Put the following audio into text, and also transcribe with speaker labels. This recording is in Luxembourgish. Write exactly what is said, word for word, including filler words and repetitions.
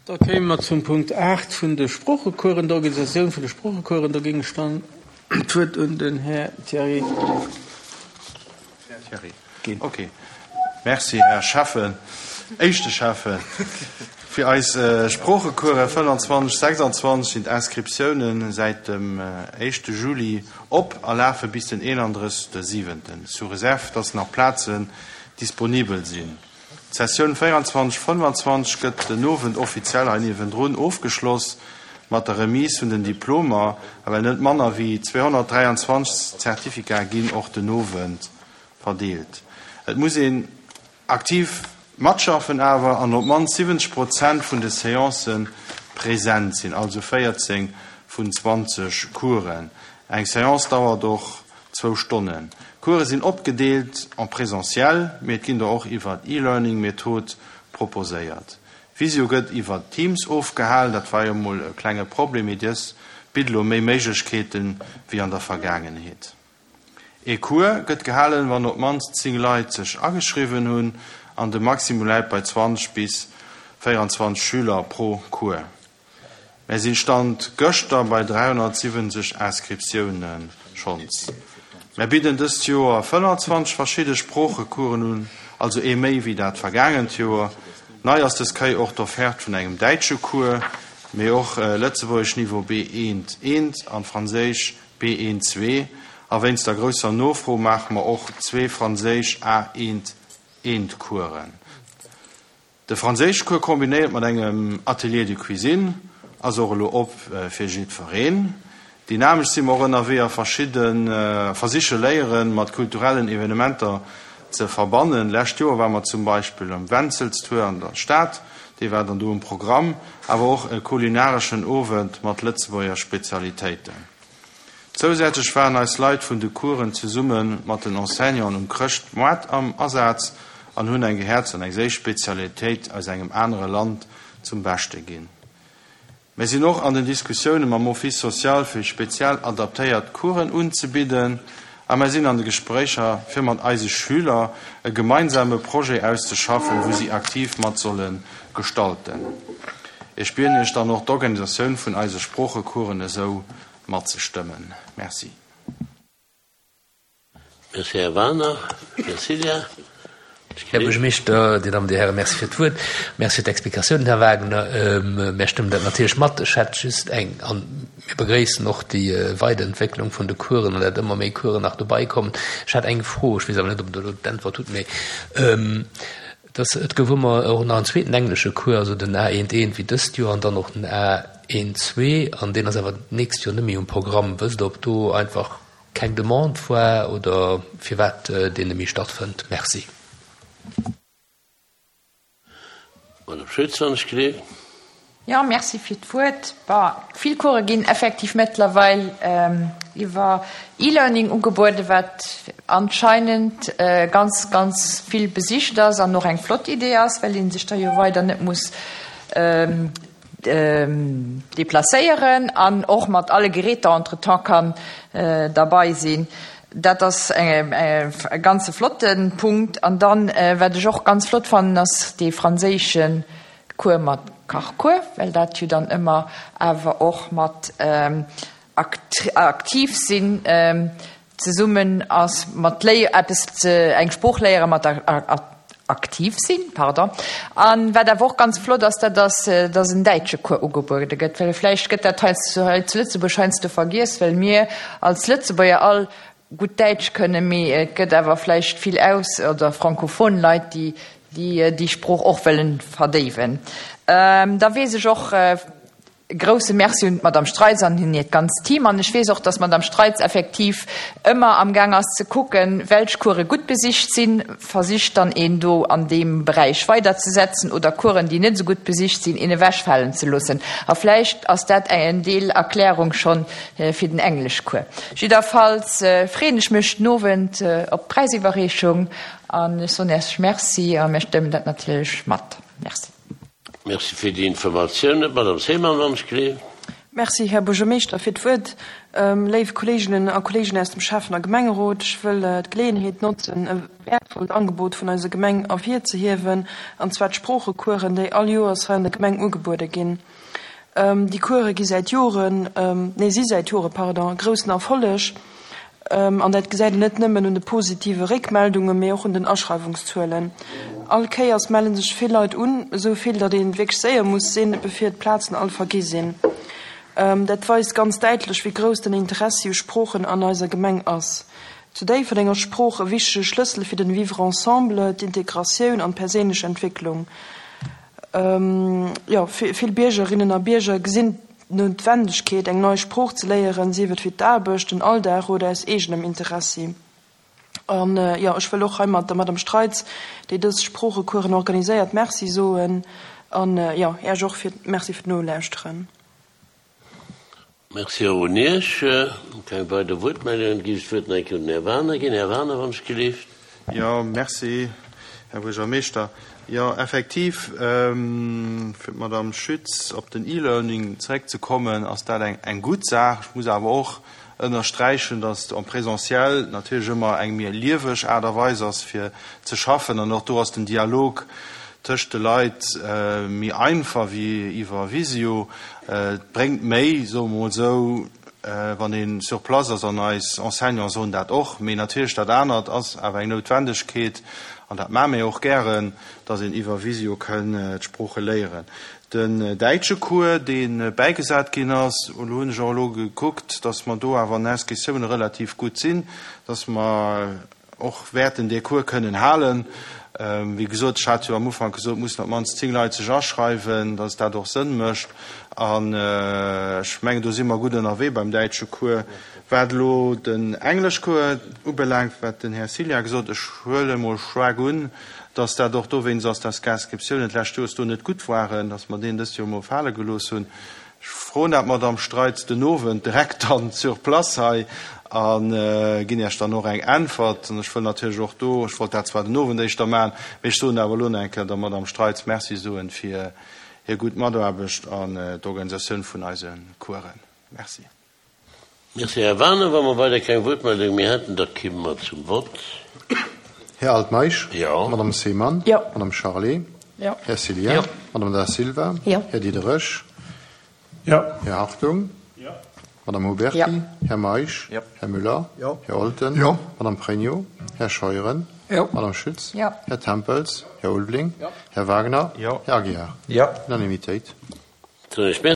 Speaker 1: Da kéime mer zum Punkt aacht vun de Sproochecoursen, der Organisatioun vun de Sproochecoursen. Do géing ech dann d'Wuert un den Här Thierry
Speaker 2: ginn. Okay. Merci, Här Schäffen, éischte Schäffen. Fir eis Sproochecourse fënnanzwanzeg, sechsanzwanzeg sinn d'Inscriptiounen säit dem éischte Juli op a lafe bis den eenandrëssegste siwenten, sous réserve dass nach Plazen disponibel sinn. D'Sessioun véieranzwanzeg, fënnefanzwanzeg gëtt den Owend offiziell hei niewendrun ofgeschloss mat der Remise vun den Diplomer, a well net manner wéi zweehonnertdräianzwanzeg Certificaten ginn och den Owend verdeelt. Et muss een aktiv matschaffen awer an op d'mannst siwwenzeg Prozent vun de Seancë present sinn, also véierzéng vun zwanzeg Coursen. Eng Seance dauert och zwou Stonnen. D'Course sinn opgedeelt en présentiel, mee et ginn der och iwwer E-Learning-Method proposéiert. Visio gëtt iwwer Teams ofgehalen, dat war jo mol e klenge Problem, mee dës bitt elo méi Méiglechkeeten wéi an der Vergaangenheet. Ee Cours gëtt gehalen, wann op d'mannst zéng Leit sech ageschriwwen hunn, an de Maximum läit bei zwanzeg bis véieranzwanzeg Schüler pro Cours. Mär sinn Stand gëschter bei dräihonnertsiwwenzeg Inscriptioune schonns. Mär bidden dëst Joer fënnanzwanzeg verschidde Sproochecoursen un, also ee méi wéi dat vergaangent Joer. Nei ass dës Kéier och d'Offerte vun engem däitsche Cours, mee och Lëtzebuergesch Niveau B eent eent an Franséisch B eent zwee. A wéinst der grousser Nofro maache mer och zwee Franséisch A eent eent Coursen. De Franséischcours kombinéiert mat engem Atelier de cuisine ass och elo op fir jiddwereen. Dynamesch si mer och ënnerwee a verschidde versiche Léiere mat kulturellen Evenementer ze verbannen. Lescht Joer ware mer zum Beispill um Wenzelstour an der Stad, dee war dann do um Programm, awer och e kulinareschen Owend mat Lëtzebuerger Spezialitéiten. Zousätzlech waren eis Leit vun de Coursen zesumme mat den Enseignanten um Chrëschtmoart am Asaz an hunn eng gehäerzt an eng séiss Spezialitéit aus engem anere Land zum Beschte ginn. Mir sinn och an den Diskussioune mam Office social fir speziell adaptéiert Coursen unzebidden a mer sinn an de Gespréicher fir mat eise Schüler e gemeinsame Projet auszeschaffen, wou si aktiv mat solle gestalten. Ech bieden Iech dann och d'Organisatioun vun eise Sproochecoursen esou matzestëmmen. Merci.
Speaker 3: Merci, Här Wagner. Här Cilla.
Speaker 4: Här Buergermeeschter, Dir Dammen, Dir Hären, Merci fir d'Wuert. Merci fir d'Explikatiounen, Här Wagner. Mär stëmmen dat natierlech mat. Ech hätt just eng, an mir begréissen och déi Weiderentwécklung vun de Coursen an dat ëmmer méi Coursen nach dobei kommen. Ech hätt eng Fro, ech weess awer net, ob Der elo d'Äntwert hutt, mee dass et gouf ëmmer och nach en zweeten englesche Cours, also den A eent eent wéi dëst Joer an dann och den A eent zwee, an deen ass awer d'nächst Joer net méi um Programm. Wësst Der, ob do einfach keng Demande war oder firwat deen net méi stattfënnt? Merci.
Speaker 3: Madame Schütz, wann ech gleef.
Speaker 5: Jo, merci fir d'Wuert. Bon, vill Course ginn effektiv mëttlerweil iwwer E-Learning ugebueden, wat anscheinend ganz, ganz vill besicht ass an och eng flott Idee ass, well ee sech da jo weider net muss deplacéieren an och mat alle Geräter entretemps kann derbei sinn. Dat ass e ganze flotte Punkt. An dann, wat ech och ganz flott fannen, ass dee franséische Cours mat Kachcours, well dat jo dann ëmmer awer och mat aktiv sinn zesummen ass, mat léi eppes ze eng Sprooch léiere mat aktiv sinn, pardon. An wat awer och ganz flott ass, dat ass, dass en däitsche Cours ugebuede gëtt, well vläicht gëtt dat hei zu hei zu Lëtzebuerg heiansdo vergiess, well mir als Lëtzebuerger all gutt Däitsch kënnen, mee et gëtt awer vläicht vill aus oder frankophon Leit, déi déi déi Sprooch och wëllen verdéiwen. Da weess ech och, e grouse Merci un d'Madame Streitz an hiert ganzt Team. An ech weess och, dass d'Madame Streitz effektiv ëmmer amgaang ass ze kucken, welch Course gutt besicht sinn, versicht dann een do an deem Beräich weiderzesetzen oder Coursen, déi net esou gutt besicht sinn, een ewechfalen ze loossen. A vläicht ass dat en Deel Erklärung schonn fir den Engleschcours. Jidderfalls freeën ech mech den Owend op d'Präisiwwerreechung an ech soen Iech Merci a mir stëmmen dat natierlech mat. Merci.
Speaker 3: Merci fir déi Informatiounen. D'Madame Seemann, wann ech gleef.
Speaker 6: Merci, Här Buergermeeschter, fir d'Wuert. Léif Kolleeginnen a Kolleegen aus dem Schäffen a Gemengerot, ech wëll d'Geleeënheet notzen, e wäertvollt Angebot vun eiser Gemeng ervirzehiewen, an zwar d'Sproochecoursen, déi all Joers hei an der Gemeng ugebuede ginn. Déi Course gi säit Joren, nee, si säit Jore, pardon, e groussen Erfolleg, an dat gesäit een net nëmmen un de positive Réckmeldungen, mee och un den Aschreiwungszuelen. All Kéiers melle sech vill Leit un, esou vill, datt ee wierklech séier muss sinn, bevir d'Plazen all vergi sinn. Dat weist ganz däitlech, wéi grouss den Interessi u Sproochen an eiser Gemeng ass. Zu Déifferdeng ass Sprooch e wichtege Schlëssel fir den Vivre ensemble, d'Integratioun an d'perséinlech Entwécklung. Jo, vill Biergerinnen a Bierger gesinn d'Noutwendegkeet, eng nei Sprooch ze léieren, sief et fir d'Aarbecht, den Alldag oder aus eegenem Interessi. An, jo, ech wëll och heimat der Madame Streitz, déi dës Sproochecoursen organiséiert, Merci soen. An, jo, Iech och fir, Merci fir d'Nolauschteren.
Speaker 3: Merci och un Iech. Keng weider Wuertmeldungen. Géif ech d'Wuert nach eng Kéier un den Här Wagener ginn. Här Wagener, wann ech gelift.
Speaker 2: Jo, merci, Här Buergermeeschter. Jo, effektiv, fir d'Madame Schütz op den E-Learning zeréckzekommen, ass dat eng, eng gutt Saach. Ech muss awer och ënnersträichen, dass en présentiel natierlech ëmmer eng méi lieweg Aart a Weis ass, fir ze schaffen. An och do ass den Dialog tëscht de Leit méi einfach wéi iwwer Visio. Et bréngt méi, soe mer mol esou, wann ee sur place ass, an eis Enseignants soen dat och. Mee natierlech dat anert ass awer eng Noutwendegkeet, an dat maache mir och gären, dass een iwwer Visio kënn d'Sprooche léieren. Den däitsche Cours, dee bäigesat ginn ass, do hunn ech och elo gekuckt, dass mer do awer an den Inscriptiounen relativ gutt sinn, dass mer och wäerten dee Cours kënnen halen. Wéi gesot, ech hat jo am Ufank gesot, mussen op d'mannst zéng Leit sech aschreiwen, dass dat och Sënn mécht. An ech mengen, do si mer gutt ënnerwee beim däitsche Cours. Wat elo den Engleschcours ubelaangt, wat den Här Cilla gesot, ech huele mol staark un, dass dat och dowéinst ass, dass d'Inscriptiounen d'lescht Joers do net gutt waren, dass mer deen dëst Joer mol fale gelooss hunn. Ech froen dat d'Madame Streitz den Owend direkt dann sur place hei a ginn Iech dann och eng Äntwert. An ech wëll natierlech och do, ech wollt dat zwar den Owend éischter maachen, mee ech soen awer elo nach eng Kéier der Madame Streitz Merci soen fir hir gutt Mataarbecht an d'Organisatioun vun eise Coursen. Merci.
Speaker 3: Merci, Här Wagener. Wa mer weider keng Wuertmeldung méi hätten, da kimme mer zum Vott.
Speaker 7: Här Altmeisch.
Speaker 3: Jo.
Speaker 7: Madame Seemann.
Speaker 6: Jo.
Speaker 7: Madame Charlé.
Speaker 6: Jo.
Speaker 7: Här Cillien.
Speaker 4: Jo.
Speaker 7: Madame Da Silva.
Speaker 8: Jo.
Speaker 7: Här Diderich.
Speaker 1: Jo.
Speaker 7: Här Hartung.
Speaker 1: Jo.
Speaker 7: Madame Huberty.
Speaker 8: Jo.
Speaker 7: Här Meisch.
Speaker 2: Jo.
Speaker 7: Här Müller.
Speaker 1: Jo.
Speaker 7: Här Olten.
Speaker 1: Jo.
Speaker 7: Madame Pregno. Här Scheuren.
Speaker 1: Jo.
Speaker 7: Madame Schütz.
Speaker 5: Jo.
Speaker 7: Här Tempels. Här Ulveling.
Speaker 1: Jo.
Speaker 7: Här Wagner.
Speaker 2: Jo.
Speaker 7: Här Aguiar.
Speaker 1: Jo.
Speaker 7: Unanimitéit.
Speaker 3: Soen ech Merci.